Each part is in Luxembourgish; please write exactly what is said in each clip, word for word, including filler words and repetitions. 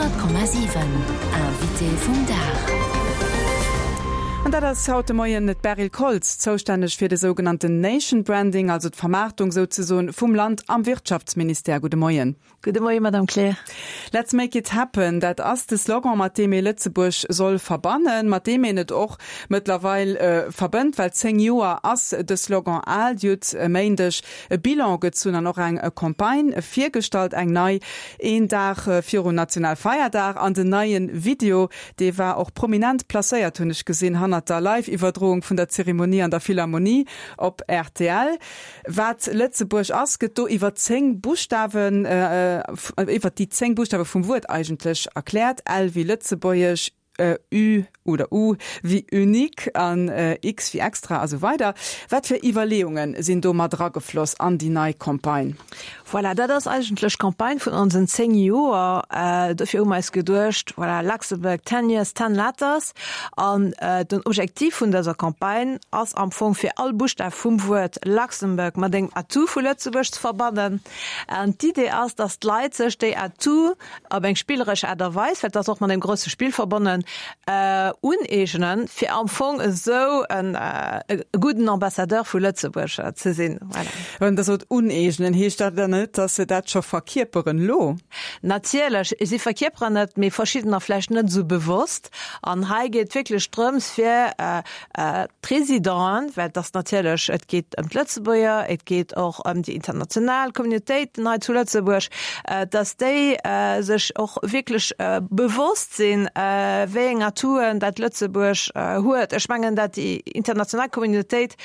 Honnert Komma siwen, Invité vum Dag. An dat ass haut de Moien d'Beryl Koltz, zoustänneg fir de sougenannten Nation Branding, also d'Vermaartung souzesoen vum Land am Wirtschaftsministère. Gudde Moien. Gudde Moien, Madame Kleer. Let's make it happen, dat ass de Slogan, mat deem ee Lëtzebuerg soll verbannen, mat deem een et och mëttlerweil verbënnt, well zéng Joer ass de Slogan al. Dir hutt e Méindeg e Bilan gezunn an och eng Campagne virgestallt, eng nei, een Dag virum Nationalfeierdag. An den neie Video, dee war och prominent placéiert, hunn ech gesinn, hannert der Live-Iwwerdroung vun der Zeremonie an der Philharmonie op rtl. Wat Lëtzebuerg ass, gëtt do iwwer zéng Buschtawen, iwwer déi zéng Buschtawe vum Wuert eigentlech erkläert, L wéi Lëtzebuergesch, Ü oder U wéi unique an X wéi extra a sou weider. Wat fir Iwwerleeunge sinn do mat eragefloss an déi nei Campagne? Voilà, dat ass eigentlech d'Campagne vun onsen zéng Joer. Dofir hu mer eis geduecht, voilà, Luxembourg ten years, ten letters. An den Objektiv vun dëser Campagne ass am Fong fir all Buschtaf vum Wuert Luxembourg mat engem Atout vu Lëtzebuerg ze verbannen. An d'Idee ass, dass d'Leit sech déi Atout op eng spilleresch Aart a Weis, well et ass och mat engem grousse Spill verbonnen, uneegnen, fir am Fong esou e gudden Ambassadeur vu Lëtzebuerg ze sinn. Voilà. Wann Der sot uneegnen, heescht dat dann net, dass se dat scho verkierperen elo? Natierlech, si verkierperen et, mee verschiddener vläicht net esou bewosst. An hei geet et wierklech drëms, fir d'Résidenten, well et ass natierlech, et geet ëm d'Lëtzebuerger, et geet och ëm déi international Communautéiten hei zu Lëtzebuerg, dass déi sech och wierklech bewosst sinn, wéi eng Atouen dat Lëtzebuerg huet. Ech mengen, dat déi international Communautéit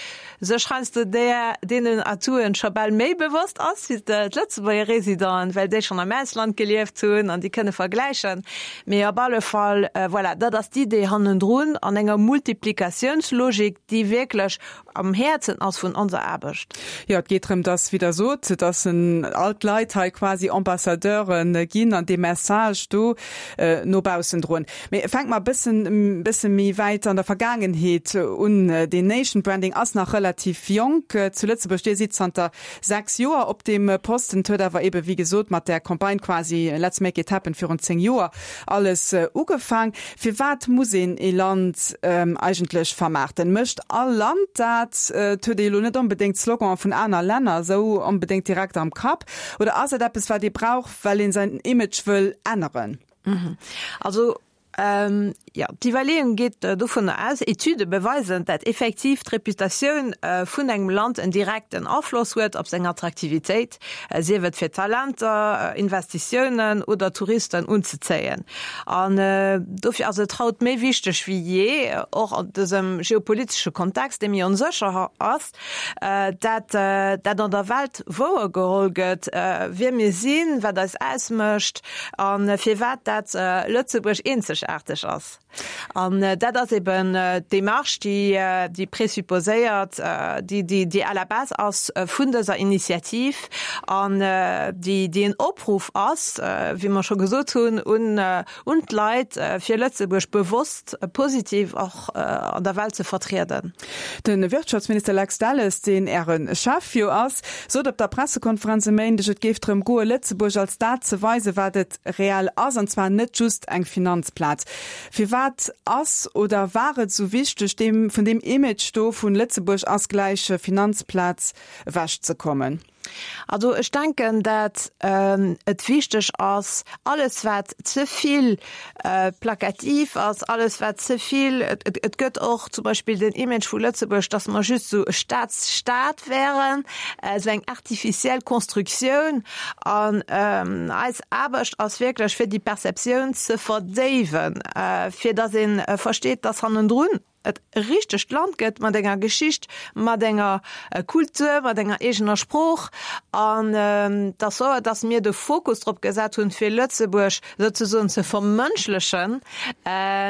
sech heiansdo där, deenen Atouen scho bal méi bewosst ass wéi d'Lëtzebuerger Résidenten, well déi schonn am Ausland gelieft hunn an déi kënne vergläichen. Mee op alle Fall, voilà, dat ass d'Idee hannendrun an enger Multiplikatiounslogik, déi wierklech am Häerzen ass vun onser Aarbecht. Jo, et geet drëm, dass, wéi Der sot, dass all d'Leit hei quasi Ambassadeure ginn an dee Message do no baussen droen. Mee fänke mer e bëssen, bësse méi wäit an der Vergaangenheet un. Deen Nation Branding ass nach relativ jonk zu Lëtzebuerg. Dir sidd zanter sechs Joer op deem Posten. Et huet awer eebe, wéi gesot, mat där Campagne quasi Let's make it happen virun zéng Joer alles ugefaang. Firwat muss een ee Land eigentlech vermaarten? Mécht all Land dat? Et huet ee elo net onbedéngt d'Sloganen vun aner Länner esou onbedéngt direkt am Kapp. Oder ass et eppes, wat ee brauch, well een säin Image wëll änneren? Also jo, d'Iwwerleeung geet dovunner aus, Etüde beweisen, dat effektiv d'Reputatioun vun engem Land en direkten Afloss huet op seng Attraktivitéit, sief et fir Talenter, Investitiounen oder Touristen unzezéien. An dofir ass et haut méi wichteg wéi jee, och an dësem geopolitesche Kontext, dee méi onsécher ass, dat dat an der Welt wouergeholl gëtt, wie mir sinn, wat eis ausmécht a firwat dat Lëtzebuerg eenzegaarteg ass. An dat ass eben d'Demarche, déi déi présupposéiert, déi déi déi à la base ass vun dëser Initiativ an déi déi en Opruff ass, wéi mer scho gesot hunn, un un d'Leit, fir Lëtzebuerg bewosst positiv och an der Welt ze vertrieden. De Wirtschaftsminister Lex Delles, deen Äre Chef jo ass, sot op der Pressekonferenz e Méindeg, et géif drëm goe Lëtzebuerg als dat ze weisen, wat et reell ass, an zwar net just eng Finanzplaz. Firwat ass oder war et esou wichteg, deem vun deem Image do vun Lëtzebuerg ass gläich Finanzplaz ewechzekommen? Also ech denken, dat et wichteg ass, alles wat ze vill plakativ ass, alles wat ze vill, et gëtt och zum Beispill den Image vu Lëtzebuerg, datt mer just esou e Staatsstaat wären, esou eng artificielle Constructioun. An eis Aarbecht ass wierklech fir déi Perceptioun ze verdéiwen, fir datt ee versteet, datt hannendrun et e richtegt Land gëtt mat enger Geschicht, mat enger Kultur, mat enger eegener Sprooch. An et ass wouer, datt mir de Fokus drop gesat hunn, fir Lëtzebuerg souzesoen ze vermënschlechen.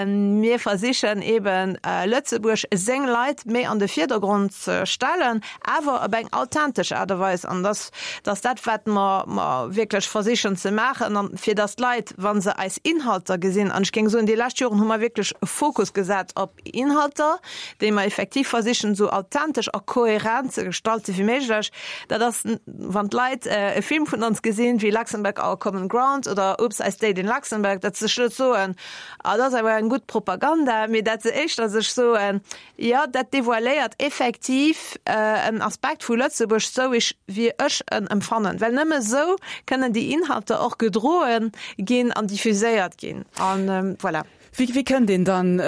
Mir versichen eeben, Lëtzebuerg, seng Leit méi an de Virdergrond ze stellen, awer op eng authentesch Aart a Weis. An dass dass dat, wat mer mer wierklech versichen ze maachen, an fir datt d'Leit, wa se eis Inhalter gesinn, an ech géing soen, déi lescht Joren hu mer wierklech e Fokus gesat op Inhalter, Inhalter, déi mer effektiv versichen esou authentesch a kohärent ze gestalte wéi méiglech. Dat ass, wann d'Leit e Film vun ons gesinn, wéi Luxembourg, Our Common Ground oder Oops, I Stayed in Luxembourg, datt se sech net soen, Ah, dat ass awer eng gutt Propaganda, mee datt se éischter sech soen, Jo, dat devoiléiert effektiv en Aspekt vu Lëtzebuerg, sou wéi ech en empfannen. Well nëmme sou kënnen déi Inhalter och gedroe ginn an diffuséiert ginn. An voilà. Wéi, wéi kënnt een dann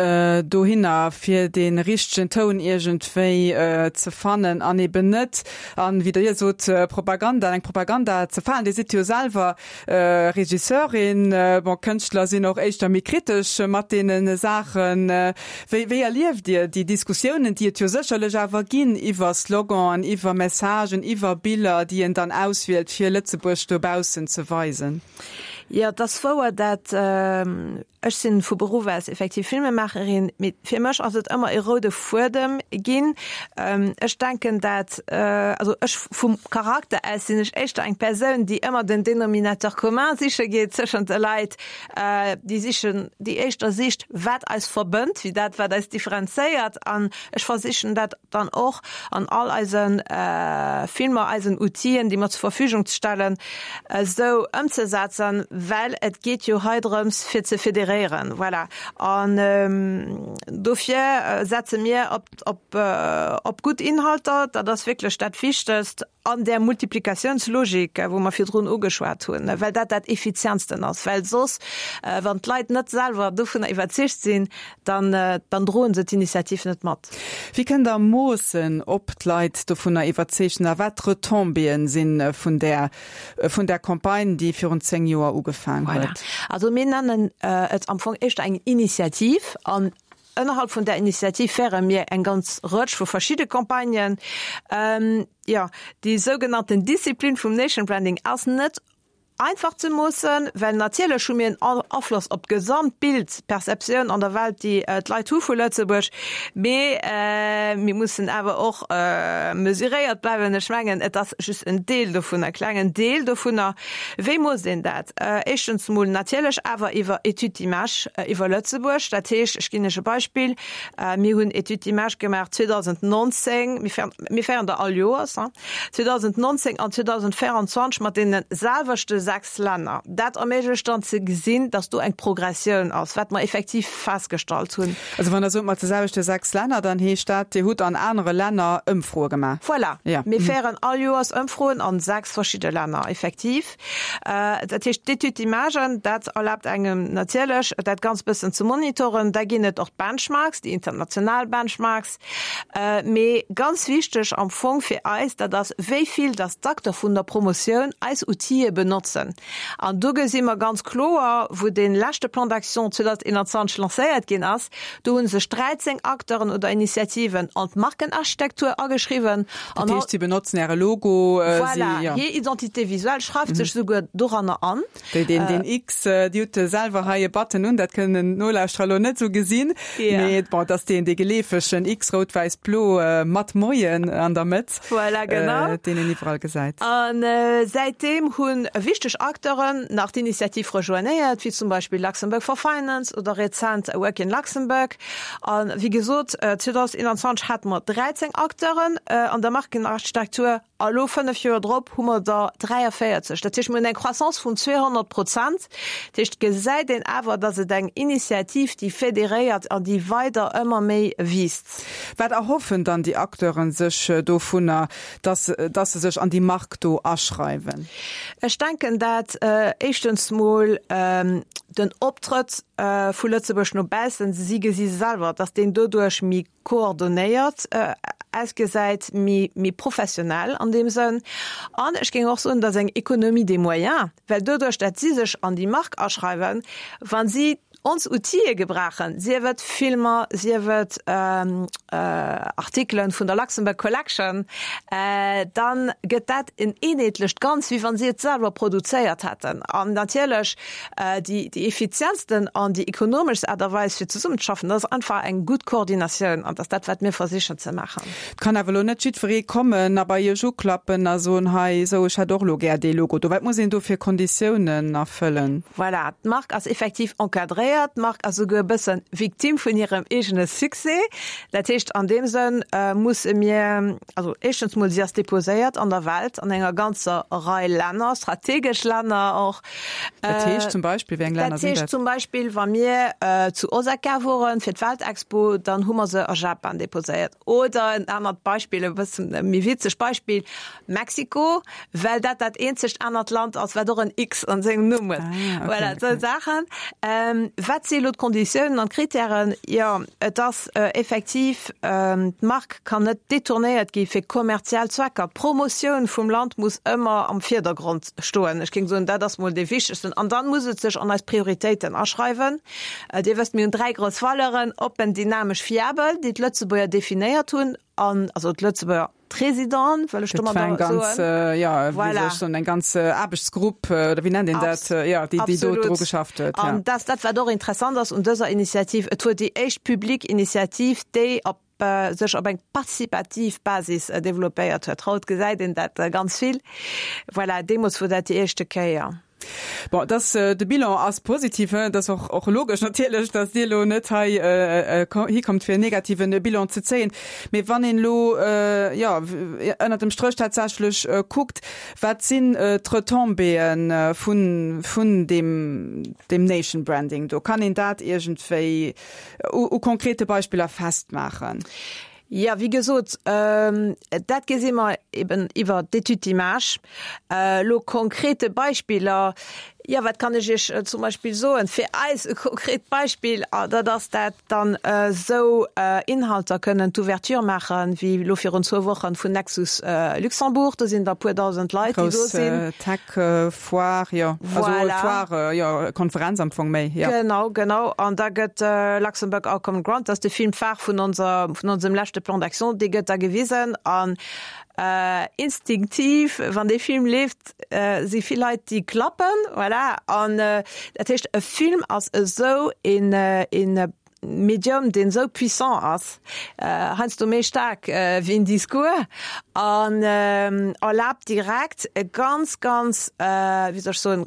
dohinner, fir dee richtegen Toun iergendwéi ze fannen an eben net an, wéi Der sot, Propaganda, an eng Propaganda ze falen? Dir sidd jo selwer Regisseurin. Bon, Kënschtler sinn och éischter méi kritesch mat deene Saachen. Wéi, wéi erlieft Dir déi Diskussiounen, déi et jo sécherlech awer ginn iwwer Sloganen, iwwer Messagen, iwwer Biller, déi een dann auswielt, fir Lëtzebuerg dobaussen ze weisen? Jo, et ass wouer, dat ech sinn vu Beruff aus effektiv Filmemaacherin, mee fir mech ass et ëmmer e roude Fuedem ginn. Ech denken dat, also ech vum Charakter aus sinn ech éischter eng Persoun, déi ëmmer den Dénominateur commun siche geet tëschent de Leit, déi sichen, déi éischter sicht, wat eis verbënnt, wéi dat, wat eis differenzéiert. An ech versichen dat dann och an all eise Filmer, eisen Outien, déi mer zur Verfügung stellen, esou ëmzesetzen, well et geet jo hei drëms, fir ze federéieren. Voilà. An dofir setze mir op, op, op gutt Inhalter, dat ass wierklech dat Wichtegst an där Multiplikatiounslogik, wou mer virdrun ugeschwat hunn, well dat dat Effizientsten ass, well soss, wann d'Leit net selwer dovunner iwwerzeegt sinn, dann, dann droen se d'Initiativ net mat. Wéi kënnt Der moossen, ob d'Leit dovunner iwwerzeegt sinn a wat d'Retombéeën si vun där, vun där Campagne, déi virun zéng Joer ugefaang Voilà. huet? Also mir nennen et am Fong éischter eng Initiativ an ënnerhalb vun där Initiativ féiere mir eng ganz Rëtsch vu verschidde Campagnen. Jo, déi sougenannten Disziplin vum Nation Branding ass net einfach ze moossen, well natierlech hu mir en Afloss op d'Gesamtbild, d'Perceptioun an der Welt, déi d'Leit hu vu Lëtzebuerg, mee mir mussen awer och mesuréiert bleiwen. Ech mengen, et ass just en Deel dovunner, e klengen Deel dovunner. Wéi moosst een dat? Éischtens emol natierlech awer iwwer Études d'image iwwer Lëtzebuerg. Dat heescht, ech ginn Iech e Beispill, Mir hunn Études d'image gemaach zweedausendnonzéng, mir féieren der all Joers, zweedausendnonzéng an zweedausendvéierundzwanzeg mat deene selwechte sechs Länner. Dat erméiglecht dann ze gesinn, dass do eng Progressioun ass, wat mer effektiv festgestallt hunn. Also wann Der sot mat de selwechte sechs Länner, dann heescht dat, Dir hutt an anere Länner Ëmfroe gemaach? Voilà. Ja. Mir féieren all Joers Ëmfroen an sechs verschidde Länner, effektiv. Dat heescht, d'Étude d'imagen, dat erlaabt engem natierlech, dat Ganzt bëssen ze monitoren. Da ginn et och d'Benchmarks, déi international Benchmarks. Mee ganz wichteg am Fong fir eis, dat ass, wéi vill dass d'Acteur vun der Promotioun eis Outile benotzen. An do gesi mer ganz kloer, wou dee leschte Plan d'action zweedausendeenanzwanzeg lancéiert ginn ass, do hu sech dräizéng Acteuren oder Initiativen an d'Markenarchitektur ageschriwwen. Dat heescht, si benotzen Äre Logo, si, Voilà, jo. hir Identité visuelle schreift sech souguer doranner an. Déi, deen, deen X, Dir hutt selwer hei e Button un, dat kënnen d'Nolauschterer elo net esou gesinn, mee bon, et ass deen, dee geleefegen X, rout, wäiss, blo, mat Moien an der Mëtt, Voilà, genau. deen een iwwerall gesäit. A säitdeem hu wichteg Acteuren nach d'Initiativ rejoignéiert, wéi zum Beispill Luxembourg for Finance oder rezent Work in Luxembourg. A wéi gesot, zweedausendeenanzwanzeg hate mer dräizéng Acteuren an der Markenarchitektur a lo, fënnef Joer drop, hu mer der dräiavéierzeg. Dat heescht, mir hunn eng Croissance vun zweehonnert Prozent. Dat heescht, et gesäit een awer, datt et eng Initiativ, déi federéiert an déi weider ëmmer méi wiisst. Wat erhoffen dann déi Acteuren sech dovunner, dass dass se sech an déi Mark do aschreiwen? Ech denken, dat éischtens mol den Optrëtt vu Lëtzebuerg no baussen, si gesi selwer, datt deen doduerch méi koordonéiert ausgesäit, méi méi professionell an deem Sënn. An ech géing och soen, datt eng Économie des moyens, well doduerch, datt si sech an déi Mark aschreiwen, wa si ons Outile gebrauchen, sief et Filmer, sief et Artikelen vun der Luxembourg Collection, dann gëtt dat en eenheetlecht Ganz, wéi wann si et selwer produzéiert hätten. An natierlech déi effizientsten an déi ekonomeschst Aart a Weis fir zesummenzeschaffen, dat ass einfach eng gutt Koordinatioun an dat ass dat, wat mir versichen ze maachen. Et kann awer elo net jiddweree kommen a bei Iech uklappen a soen, hei, esou, ech hätt och elo gär dee Logo do. Wat muss een do fir Konditiounen erfëllen? Voilà, d'Mark ass effektiv encadréiert. Déposéiert. D'Mark ass souguer e bëssen Victime vun hirem eegene Succès. Dat heescht, an deem Sënn musse mir, also éischtens mol, si ass déposéiert an der Welt, an enger ganzer Rei Länner, strategesch Länner och. Dat heescht zum Beispill, wéi eng Länner sinn dat? Dat heescht zum Beispill, wa mir zu Osaka woren fir d'Weltexpo, dann hu mer se a Japan déposéiert. Oder en anert Beispill, e bëssen méi witzegt Beispill, Mexiko, well dat dat eenzegt anert Land ass, wat och en X an sengem Numm huet. Ah, okay, voilà, esou Saachen. Wat si elo d'Konditiounen an d'Kritären? Jo, et ass effektiv, d'Mark kann net detournéiert gi fir kommerziell Zwecker. D'Promotioun vum Land muss ëmmer am Virdergrond stoen. Ech géing soen, dat ass mol dee wichtegsten. An dann muss et sech an eis Prioritéiten aschreiwen. Dir wësst, mir hunn dräi grouss Valeuren, oppen, dynamesch, fiabel, déi d'Lëtzebuerger definéiert hunn, an also d'Lëtzebuerger D'Residenten, wëll ech domadder soen. Ganz, ja, voilà. Wéi eng ganz Aarbechtsgrupp, oder wéi nennt een dat, ja, déi, déi do dru geschafft huet. Ja. An dat, dat wat och interessant ass un dëser Initiativ, et wor déi éischt publik Initiativ, déi op sech op eng participativ Basis developpéiert huet. Haut gesäit een dat ganz vill. Voilà, deemools wor dat déi éischte Kéier. Bon, dass de Bilan ass positiv, dat ass och och logesch natierlech, dass Dir elo net hei hikommt fir en negativen Bilan ze zéien. Mee wann een elo, jo, ënnert dem Stréch tatsächlech kuckt, wat sinn d'Retombéeë vun vun deem deem Nation Branding do? Kann een dat iergendwéi u konkrete Beispiller festmaachen? Jo, wéi gesot, dat gesi mer eben iwwer d'Étude d'image. Elo konkrete Beispiller, jo, wat kann ech Iech zum Beispill soen? Fir eis e konkret Beispill, dat ass dat dann esou Inhalter kënnen d'Ouverture maachen, wéi elo virun zwou Wochen vun Nexus Luxembourg. Do sinn der e puer dausend Leit, déi do sinn. Grouss Tech-Foire, jo. Also Foire, jo, Konferenz am Fong méi, jo. Genau, genau. An da gëtt Luxembourg Our Common Ground, dat ass de Film phare vun onser, vun onsem leschte Plan d'action, dee gëtt da gewisen. An instinktiv, wann dee Film leeft, si vill Leit, déi klappen, voilà. An dat heescht, e Film ass esou een, een Medium, deen esou puissant ass, heiansdo méi staark wéi en Discours an erlaabt direkt e ganz, ganz, wéi soll ech soen,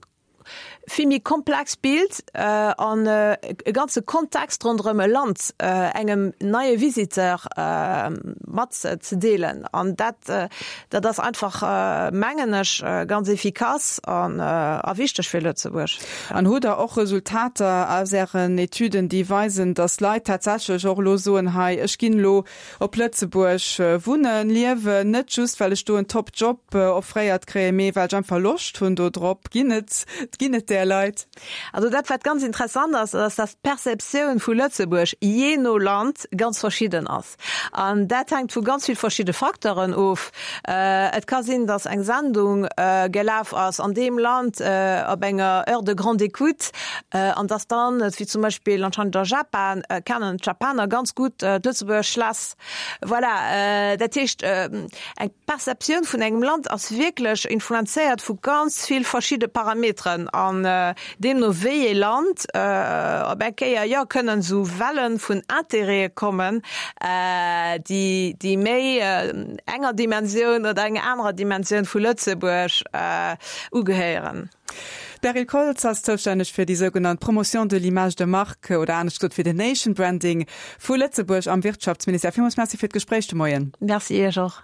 vill méi komplext Bild an e ganze Kontext ronderëm e Land engem neie Visiteur matzedeelen. An dat, dat ass einfach, mengen ech, ganz efficace an a wichteg fir Lëtzebuerg. An hutt Der och Resultater aus Ären Etüden, déi weisen, datt Leit tatsächlech och elo soen, hei, ech ginn elo op Lëtzebuerg wunnen, liewen, net just well ech do en top Job offréiert kréien, mee well ech einfach Loscht hunn do drop? Ginn et, ginn et där Leit? Also dat wat ganz interessant ass, ass dass d'Perceptioun vu Lëtzebuerg jee no Land ganz verschidden ass. An dat hänkt vu ganz vill verschidde Facteuren of. Et ka sinn, dass eng Sendung gelaf ass an deem Land op enger Heure de grande écoute an dass dann, wéi zum Beispill anscheinend a Japan, kennen d'Japaner ganz gutt d'Lëtzebuerger Schlass. Voilà, dat heescht eng Perceptioun vun engem Land ass wierklech influenzéiert vu ganz vill verschidde Parameteren an deemno wéi ee Land op eng Kéier, jo, kënnen esou Welle vun Intérêtë kommen, déi déi méi enger Dimensioun oder enger anerer Dimensioun vu Lëtzebuerg ugehéieren. D'Beryl Koltz ass zoustänneg fir déi sougenannt Promotion de l'image de marque oder anescht gesot fir den Nation Branding vu Lëtzebuerg am Wirtschaftsministère. Villmools Merci fir d'Gespréich de Moien. Merci Iech och.